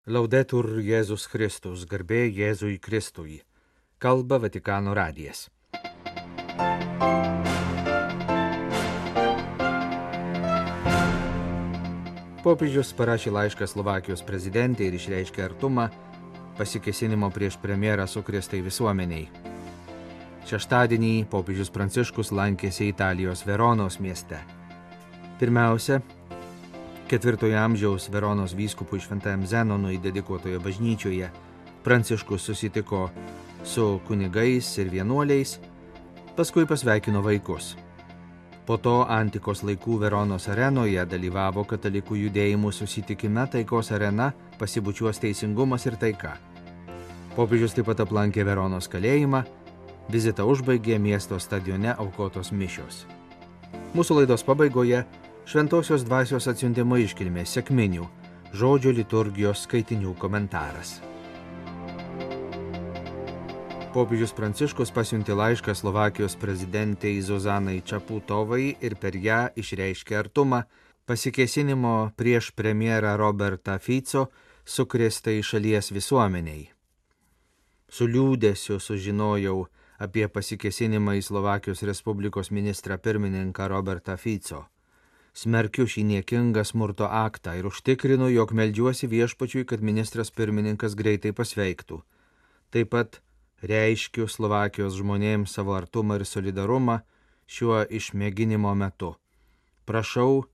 Laudetur Jėzus Kristus, garbė Jėzui Kristui. Kalba Vatikano radijas. Popiežius parašė laišką Slovakijos prezidentei ir išreiškė artumą pasikėsinimo prieš premjerą sukrėstai visuomeniai. Šeštadienį popiežius Pranciškus lankėsi Italijos Veronos mieste. Pirmiausia, 4 amžiaus Veronos vyskupui Šventajam Zenonui dedikuotoje bažnyčioje Pranciškus susitiko su kunigais ir vienuoliais, paskui pasveikino vaikus. Po to antikos laikų Veronos arenoje dalyvavo katalikų judėjimų susitikime Taikos arena pasibučiuos teisingumas ir taika. Popiežius taip pat aplankė Veronos kalėjimą, vizitą užbaigė miesto stadione aukotos mišios. Mūsų laidos pabaigoje Šventosios dvasios atsiuntimo iškilmės sekminių žodžio liturgijos skaitinių komentaras. Popiežius Pranciškus pasiuntė laišką Slovakijos prezidentei Zuzanai Čaputovai ir per ją išreiškė artumą pasikėsinimo prieš premjerą Robertą Fico sukrėstai šalies visuomeniai. Su liūdesiu sužinojau apie pasikėsinimą į Slovakijos Respublikos ministrą pirmininką Robertą Fico. Smerkiu šį niekingą smurto aktą ir užtikrinu, jog meldžiuosi viešpačiui, kad ministras pirmininkas greitai pasveiktų. Taip pat reiškiu Slovakijos žmonėms savo artumą ir solidarumą šiuo išmėginimo metu. Prašau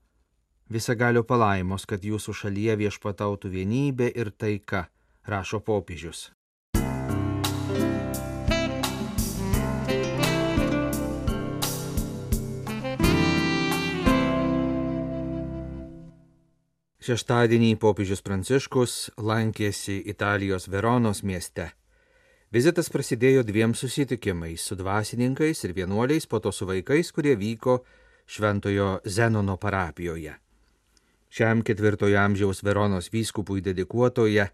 visagalio palaimos, kad jūsų šalyje viešpatautų vienybė ir taika, rašo popiežius. Šeštadienį popiežius Pranciškus lankėsi Italijos Veronos mieste. Vizitas prasidėjo 2 susitikimais su dvasininkais ir vienuoliais, po to su vaikais, kurie vyko Šventojo Zenono parapijoje. Šiam 4 amžiaus Veronos vyskupui dedikuotoje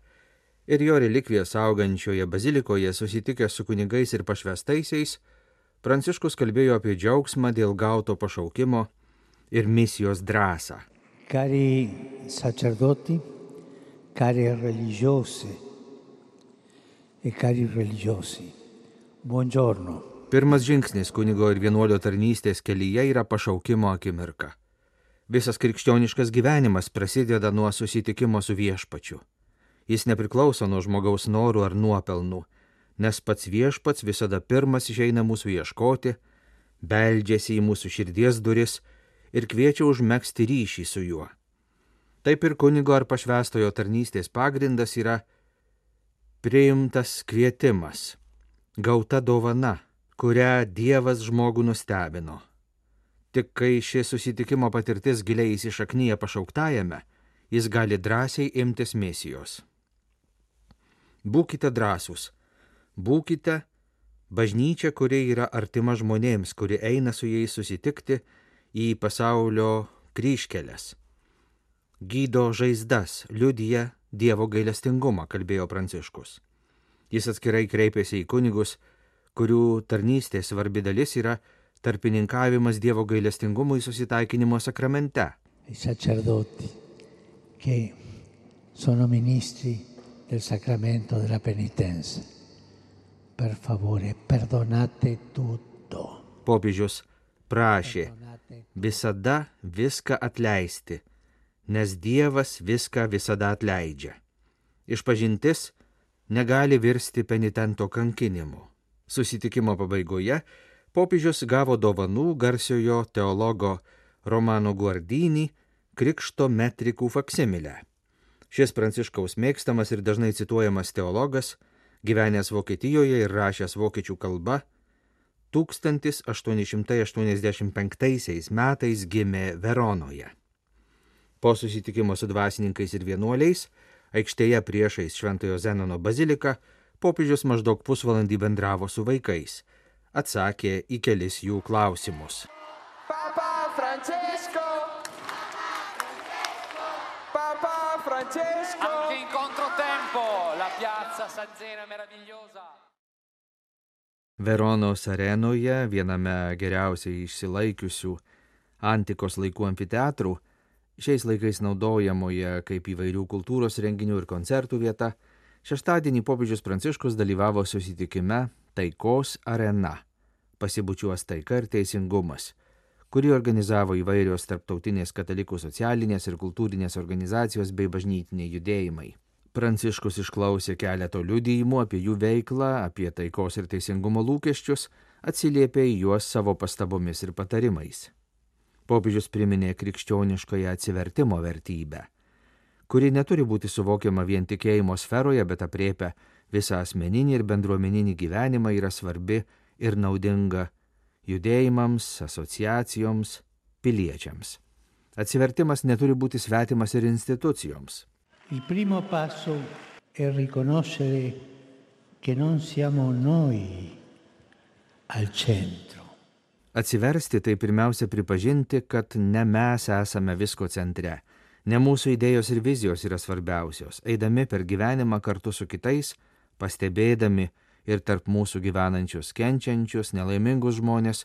ir jo relikvijas saugančioje bazilikoje susitikęs su kunigais ir pašvestaisiais, Pranciškus kalbėjo apie džiaugsmą dėl gauto pašaukimo ir misijos drąsą. Cari sacerdoti, cari religiose e cari religiosi, buongiorno. Pirmas žingsnis kunigo ir vienuolio tarnystės kelyje yra pašaukimo akimirka. Visas krikščioniškas gyvenimas prasideda nuo susitikimo su viešpačiu. Jis nepriklauso nuo žmogaus norų ar nuopelnų, nes pats viešpats visada pirmas išeina mūsų ieškoti, beldžiasi į mūsų širdies duris ir kviečia užmegzti ryšį su juo. Taip ir kunigo ar pašvestojo tarnystės pagrindas yra priimtas kvietimas, gauta dovana, kurią Dievas žmogų nustebino. Tik kai ši susitikimo patirtis giliai įsišaknyja pašauktajame, jis gali drąsiai imtis misijos. Būkite drąsūs, būkite bažnyčia, kuri yra artima žmonėms, kuri eina su jais susitikti į pasaulio kryžkeles. Gydo žaizdas, liudija Dievo gailestingumą, kalbėjo Pranciškus. Jis atskirai kreipėsi į kunigus, kurių tarnystės svarbi dalis yra tarpininkavimas Dievo gailestingumui susitaikinimo sakramente. I sacerdoti, che sono ministri del sacramento della penitenza. Per favore, perdonate tutto. Popiežius prašė visada viską atleisti, nes Dievas viską visada atleidžia. Išpažintis negali virsti penitento kankinimu. Susitikimo pabaigoje popiežius gavo dovanų garsiojo teologo Romano Guardini Krikšto metrikų faksimilę. Šis Pranciškaus mėgstamas ir dažnai cituojamas teologas, gyvenęs Vokietijoje ir rašęs vokiečių kalba, 1885 metais gimė Veronoje. Po susitikimo su dvasininkais ir vienuoliais, aikštėje priešais Šventojo Zenono baziliką, popiežius maždaug pusvalandį bendravo su vaikais, atsakė į kelis jų klausimus. Papa Francesco! Papa Francesco! Anche in controtempo, la piazza San Zeno è meravigliosa. Veronos arenoje, viename geriausiai išsilaikiusių antikos laikų amfiteatrų, Šiais laikais naudojamoje kaip įvairių kultūros renginių ir koncertų vieta, šeštadienį popiežius Pranciškus dalyvavo susitikime Taikos arena – pasibučiuos taika ir teisingumas, kurį organizavo įvairios tarptautinės katalikų socialinės ir kultūrinės organizacijos bei bažnytiniai judėjimai. Pranciškus išklausė keletą liudijimų apie jų veiklą, apie taikos ir teisingumo lūkesčius, atsiliepė į juos savo pastabomis ir patarimais. Popiežius priminė krikščioniškąją atsivertimo vertybę, kuri neturi būti suvokiama vien tikėjimo sferoje, bet aprėpia visą asmeninį ir bendruomeninį gyvenimą, yra svarbi ir naudinga judėjimams, asociacijoms, piliečiams. Atsivertimas neturi būti svetimas ir institucijoms. Il primo passo è riconoscere che non siamo noi al centro. Atsiversti tai pirmiausia pripažinti, kad ne mes esame visko centre, ne mūsų idėjos ir vizijos yra svarbiausios. Eidami per gyvenimą kartu su kitais, pastebėdami ir tarp mūsų gyvenančius, kenčiančius, nelaimingus žmonės,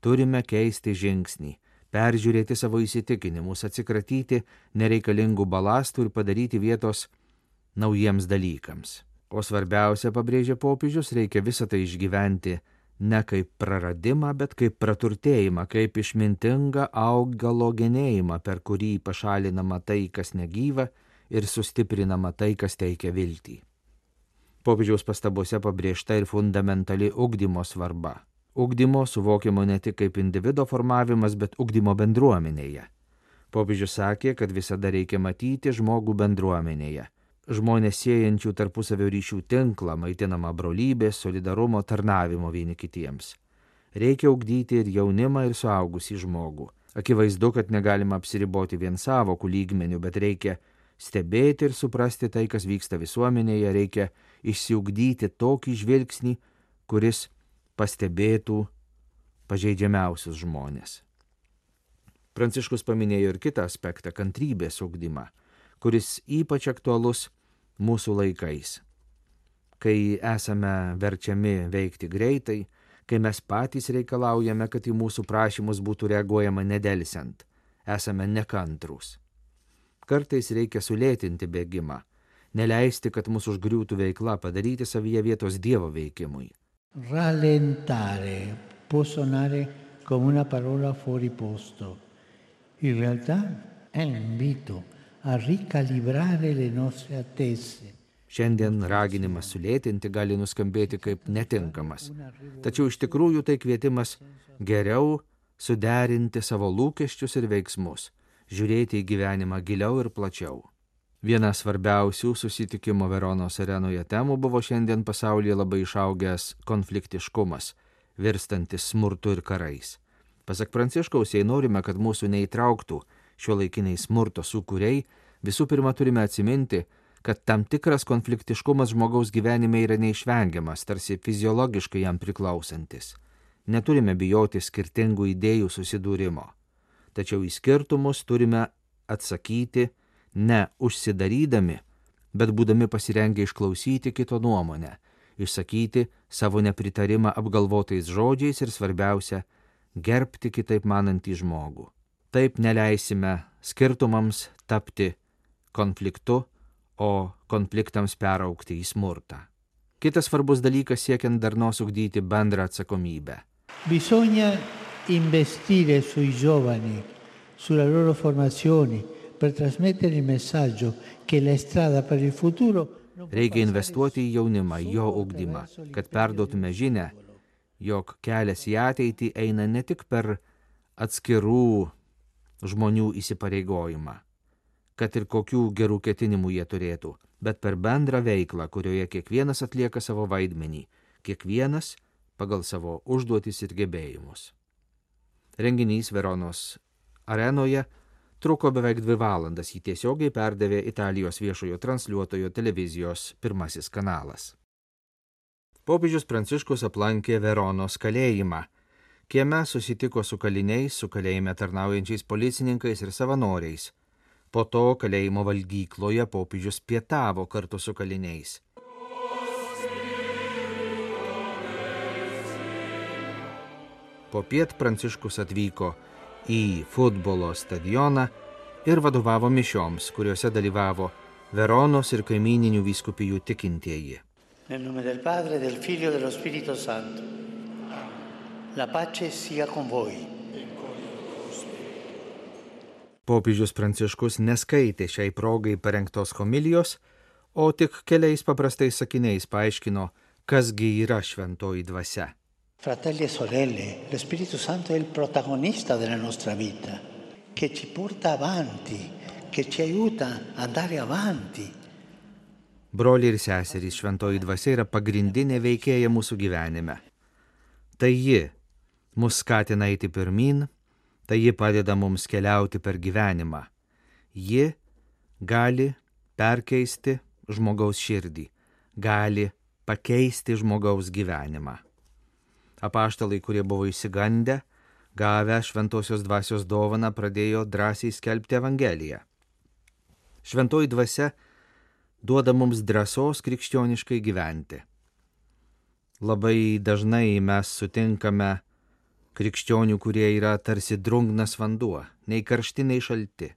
turime keisti žingsnį, peržiūrėti savo įsitikinimus, atsikratyti nereikalingų balastų ir padaryti vietos naujiems dalykams. O svarbiausia, pabrėžė popiežius, reikia visą tai išgyventi ne kaip praradimą, bet kaip praturtėjimą, kaip išmintingą augalo genėjimą, per kurį pašalinama tai, kas negyva, ir sustiprinama tai, kas teikia viltį. Popiežiaus pastabose pabrėžta ir fundamentali ugdymo svarba. Ugdymo suvokiamo ne tik kaip individo formavimas, bet ugdymo bendruomenėje. Popiežius sakė, kad visada reikia matyti žmogų bendruomenėje. Žmonės siejančių tarpusavio ryšių tinklą, maitinamą brolybės, solidarumo, tarnavimo vieni kitiems. Reikia ugdyti ir jaunimą, ir suaugusį žmogų. Akivaizdu, kad negalima apsiriboti vien savokų lygmenių, bet reikia stebėti ir suprasti tai, kas vyksta visuomenėje, reikia išsiugdyti tokį žvilgsnį, kuris pastebėtų pažeidžiamiausius žmonės. Pranciškus paminėjo ir kitą aspektą – kantrybės ugdymą, kuris ypač aktualus mūsų laikais, kai esame verčiami veikti greitai, kai mes patys reikalaujame, kad į mūsų prašymus būtų reaguojama nedelsiant, esame nekantrūs. Kartais reikia sulėtinti bėgimą, neleisti, kad mūsų užgriūtų veikla, padaryti savyje vietos Dievo veikimui. Rallentare può suonare come una parola fuori posto. In realtà è un invito a ricalibrare le nostre attese. Šiandien raginimas sulėtinti gali nuskambėti kaip netinkamas, tačiau iš tikrųjų tai kvietimas geriau suderinti savo lūkesčius ir veiksmus, žiūrėti į gyvenimą giliau ir plačiau. Viena svarbiausių susitikimo Veronos arenoje temų buvo šiandien pasaulyje labai išaugęs konfliktiškumas, virstantis smurtu ir karais. Pasak Pranciškaus, jei norime, kad mūsų neįtrauktų šiuolaikiniai smurto sūkuriai, visų pirma turime atsiminti, kad tam tikras konfliktiškumas žmogaus gyvenime yra neišvengiamas, tarsi fiziologiškai jam priklausantis. Neturime bijoti skirtingų idėjų susidūrimo. Tačiau į skirtumus turime atsakyti ne užsidarydami, bet būdami pasirengę išklausyti kito nuomonę, išsakyti savo nepritarimą apgalvotais žodžiais ir svarbiausia, gerbti kitaip manantį žmogų. Taip neleisime skirtumams tapti konfliktu, o konfliktams peraugti į smurtą. Kitas svarbus dalykas siekiant darnos ugdyti bendrą atsakomybę. Bisogna investire sui giovani, sulla loro formazione, per trasmettere il messaggio che la strada per il futuro. Reikia investuoti į jaunimą, jo ugdymą, kad perduotume žinią, jog kelias į ateitį eina ne tik per atskirų žmonių įsipareigojimą, kad ir kokių gerų ketinimų jie turėtų, bet per bendrą veiklą, kurioje kiekvienas atlieka savo vaidmenį, kiekvienas pagal savo užduotis ir gebėjimus. Renginys Veronos arenoje truko beveik 2 valandas, jį tiesiogiai perdavė Italijos viešojo transliuotojo televizijos pirmasis kanalas. Popiežius Pranciškus aplankė Veronos kalėjimą. Kieme susitiko su kaliniais, su kalėjime tarnaujančiais policininkais ir savanoriais. Po to kalėjimo valgykloje popiežius pietavo kartu su kaliniais. Popiet Pranciškus atvyko į futbolo stadioną, ir vadovavo mišioms, kuriuose dalyvavo Veronos ir kaimininių vyskupijų tikintieji. Nel nome del Padre, del Figlio e dello Spirito Santo. La pace sia con voi. Popiežius Pranciškus neskaitė šiai progai parengtos homilijos, o tik keliais paprastais sakiniais paaiškino, kasgi yra šventoji dvasia. Fratelli e sorelle, lo Spirito Santo è il protagonista della nostra vita, che ci porta avanti, che ci aiuta ad andare avanti. Broliai ir seserys, šventoji dvasia yra pagrindinė veikėja mūsų gyvenime. Tai ji mus skatina eiti pirmyn, tai ji padeda mums keliauti per gyvenimą. Ji gali perkeisti žmogaus širdį, gali pakeisti žmogaus gyvenimą. Apaštalai, kurie buvo išsigandę, gavę šventosios dvasios dovaną, pradėjo drąsiai skelbti Evangeliją. Šventoji dvasia duoda mums drąsos krikščioniškai gyventi. Labai dažnai mes sutinkame krikščionių, kurie yra tarsi drungnas vanduo, nei karšti, nei šalti.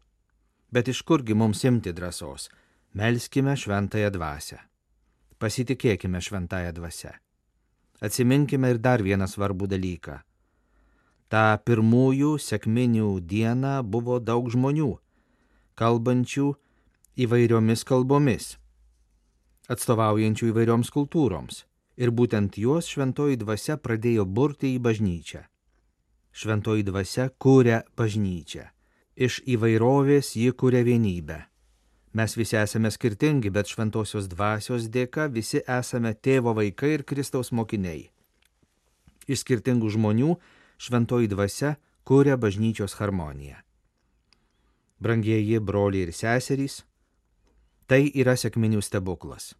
Bet iš kurgi mums imti drąsos? Melskime šventąją dvasią. Pasitikėkime šventąją dvasią. Atsiminkime ir dar vieną svarbų dalyką. Ta pirmųjų sekminių dieną buvo daug žmonių, kalbančių įvairiomis kalbomis, atstovaujančių įvairioms kultūroms. Ir būtent juos šventoji dvasia pradėjo burti į bažnyčią. Šventoji dvasia kuria bažnyčią. Iš įvairovės ji kuria vienybę. Mes visi esame skirtingi, bet šventosios dvasios dėka visi esame tėvo vaikai ir Kristaus mokiniai. Iš skirtingų žmonių šventoji dvasia kuria bažnyčios harmoniją. Brangieji broliai ir seserys, tai yra sekminių stebuklas.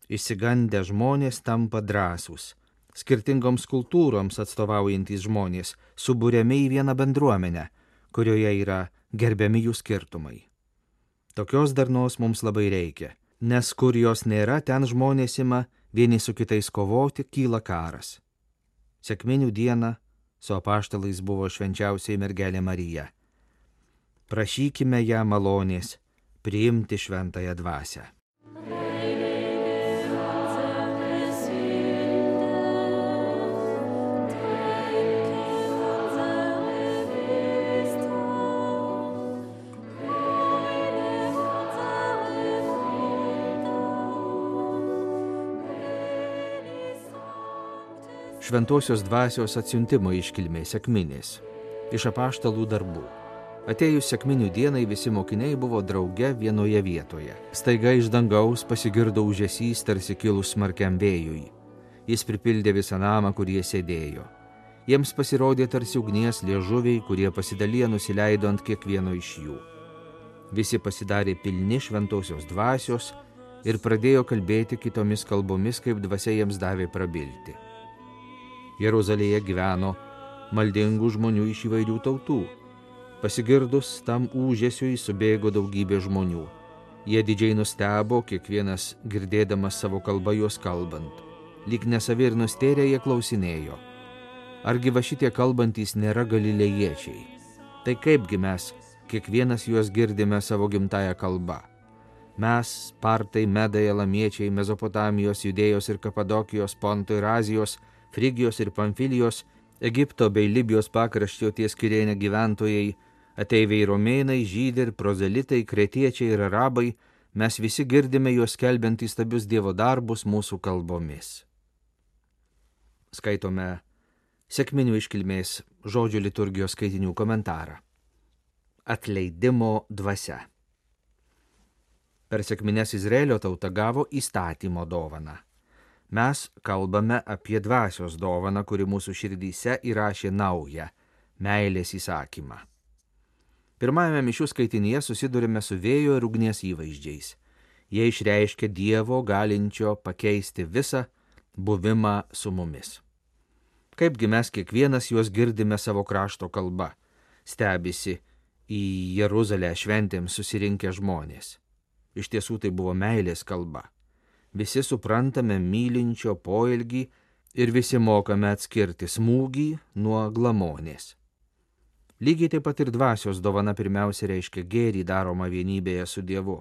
Išsigandę žmonės tampa drąsūs. Skirtingoms kultūroms atstovaujantys žmonės suburiami į vieną bendruomenę, kurioje yra gerbiami jų skirtumai. Tokios darnos mums labai reikia, nes kur jos nėra, ten žmonės ima vieni su kitais kovoti, kyla karas. Sekminių dieną su apaštalais buvo švenčiausioji mergelė Marija. Prašykime ją malonės priimti šventąją dvasią. Šventosios dvasios atsiuntimo iškilmė sekminės, iš apaštalų darbų. Atėjus sekminių dienai visi mokiniai buvo drauge vienoje vietoje. Staiga iš dangaus pasigirdo ūžesys tarsi kilus smarkiam vėjui. Jis pripildė visą namą, kur jie sėdėjo. Jiems pasirodė tarsi ugnies liežuviai, kurie pasidaliję nusileido ant kiekvieno iš jų. Visi pasidarė pilni šventosios dvasios ir pradėjo kalbėti kitomis kalbomis, kaip dvasia jiems davė prabilti. Jeruzalėje gyveno maldingų žmonių iš įvairių tautų. Pasigirdus tam ūžesiui subėgo daugybė žmonių. Jie didžiai nustebo, kiekvienas girdėdamas savo kalbą juos kalbant. Lyg nesavi ir nustėrę jie klausinėjo. Argi va šitie kalbantys nėra galilėjiečiai? Tai kaipgi mes kiekvienas juos girdime savo gimtąją kalbą? Mes, partai, medai, elamiečiai, Mezopotamijos, Judėjos ir Kapadokijos, Ponto ir Azijos, Frigijos ir Pamfilijos, Egipto bei Libijos pakraščio ties Kirėne gyventojai, ateiviai romėnai, žydai ir prozelitai, kretiečiai ir arabai, mes visi girdime juos skelbiant įstabius Dievo darbus mūsų kalbomis. Skaitome sekminių iškilmės žodžių liturgijos skaitinių komentarą. Atleidimo dvasia. Per sekmines Izraelio tauta gavo įstatymo dovaną. Mes kalbame apie dvasios dovaną, kuri mūsų širdyse įrašė naują meilės įsakymą. Pirmajame mišių skaitinyje susidurime su vėjo ir ugnies įvaizdžiais. Jie išreiškia Dievo galinčio pakeisti visą buvimą su mumis. Kaipgi mes kiekvienas juos girdime savo krašto kalba, stebisi į Jeruzalę šventėms susirinkę žmonės. Iš tiesų tai buvo meilės kalba. Visi suprantame mylinčio poelgį ir visi mokame atskirti smūgį nuo glamonės. Lygiai taip pat ir dvasios dovana pirmiausia reiškia gėrį daromą vienybėje su Dievu.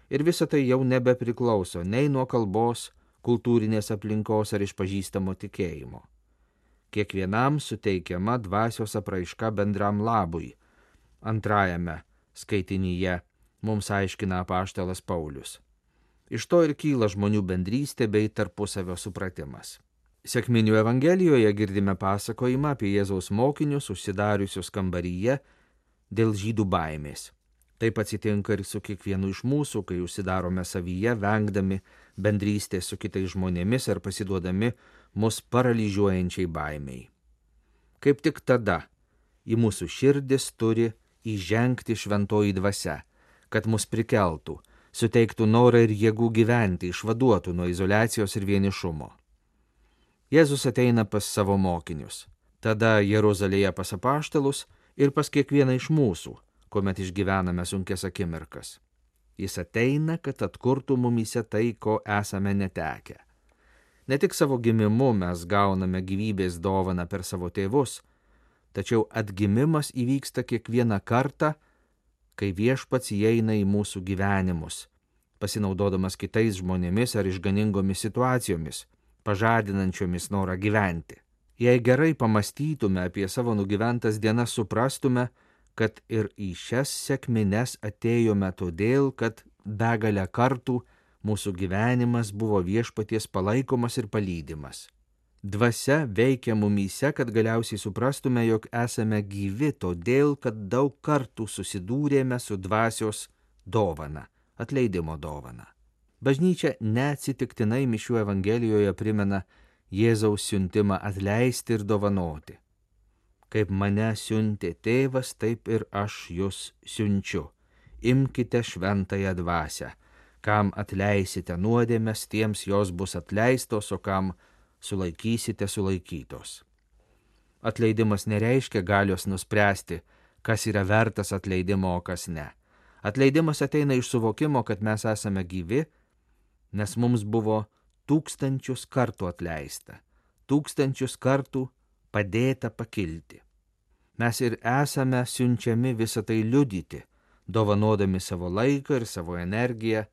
Ir visa tai jau nebepriklauso nei nuo kalbos, kultūrinės aplinkos ar išpažįstamo tikėjimo. Kiekvienam suteikiama dvasios apraiška bendram labui. Antrajame skaitinyje mums aiškina apaštalas Paulius. Iš to ir kyla žmonių bendrystė bei tarpusavio supratimas. Sekminių Evangelijoje girdime pasakojimą apie Jėzaus mokinius užsidariusius kambaryje dėl žydų baimės. Taip atsitinka ir su kiekvienu iš mūsų, kai užsidarome savyje, vengdami bendrystės su kitais žmonėmis ar pasiduodami mus paralyžiuojančiai baimiai. Kaip tik tada į mūsų širdis turi įžengti šventoji dvasia, kad mus prikeltų, suteiktų norą ir jėgų gyventi, išvaduotų nuo izoliacijos ir vienišumo. Jėzus ateina pas savo mokinius, tada Jeruzalėje pas apaštalus ir pas kiekvieną iš mūsų, kuomet išgyvename sunkias akimirkas. Jis ateina, kad atkurtų mumyse tai, ko esame netekę. Ne tik savo gimimu mes gauname gyvybės dovaną per savo tėvus, tačiau atgimimas įvyksta kiekvieną kartą, kai Viešpats įeina į mūsų gyvenimus, pasinaudodamas kitais žmonėmis ar išganingomis situacijomis, pažadinančiomis norą gyventi. Jei gerai pamastytume apie savo nugyventas dienas, suprastume, kad ir į šias sekmines atėjome todėl, kad begalę kartų mūsų gyvenimas buvo Viešpaties palaikomas ir palydimas. Dvasia veikia mumyse, kad galiausiai suprastume, jog esame gyvi todėl, kad daug kartų susidūrėme su dvasios dovana, atleidimo dovana. Bažnyčia neatsitiktinai mišių Evangelijoje primena Jėzaus siuntimą atleisti ir dovanoti. Kaip mane siuntė tėvas, taip ir aš jūs siunčiu. Imkite šventąją dvasią. Kam atleisite nuodėmes, tiems jos bus atleistos, o kam sulaikysite sulaikytos. Atleidimas nereiškia galios nuspręsti, kas yra vertas atleidimo, o kas ne. Atleidimas ateina iš suvokimo, kad mes esame gyvi, nes mums buvo 1000 kartų atleista, 1000 kartų padėta pakilti. Mes ir esame siunčiami visą tai liudyti, dovanodami savo laiką ir savo energiją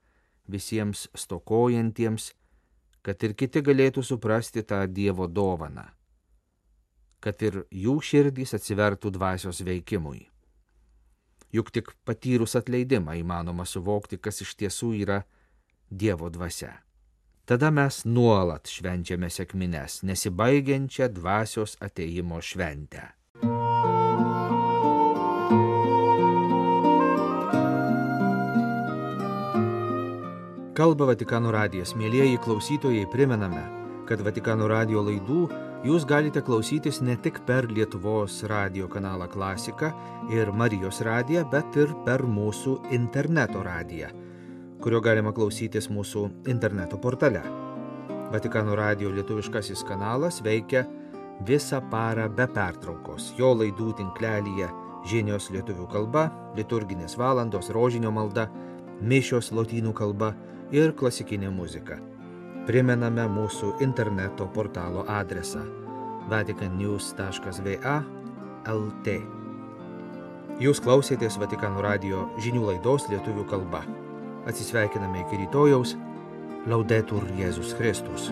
visiems stokojantiems, kad ir kiti galėtų suprasti tą Dievo dovaną, kad ir jų širdys atsivertų dvasios veikimui. Juk tik patyrus atleidimą įmanoma suvokti, kas iš tiesų yra Dievo dvasia. Tada mes nuolat švenčiame sekmines, nesibaigiančią dvasios atėjimo šventę. Kalba Vatikano radijas. Mielieji klausytojai, primename, kad Vatikano radijo laidų jūs galite klausytis ne tik per Lietuvos radijo kanalą Klasika ir Marijos radiją, bet ir per mūsų interneto radiją, kurio galima klausytis mūsų interneto portale. Vatikano radijo lietuviškasis kanalas veikia visą parą be pertraukos. Jo laidų tinklelyje žinios lietuvių kalba, liturginės valandos, rožinio malda, mišios lotynų kalba ir klasikinė muzika. Primename mūsų interneto portalo adresą vaticannews.va/lt. Jūs klausėtės Vatikano radijo žinių laidos lietuvių kalba. Atsisveikiname iki rytojaus. Laudetur Jėzus Kristus.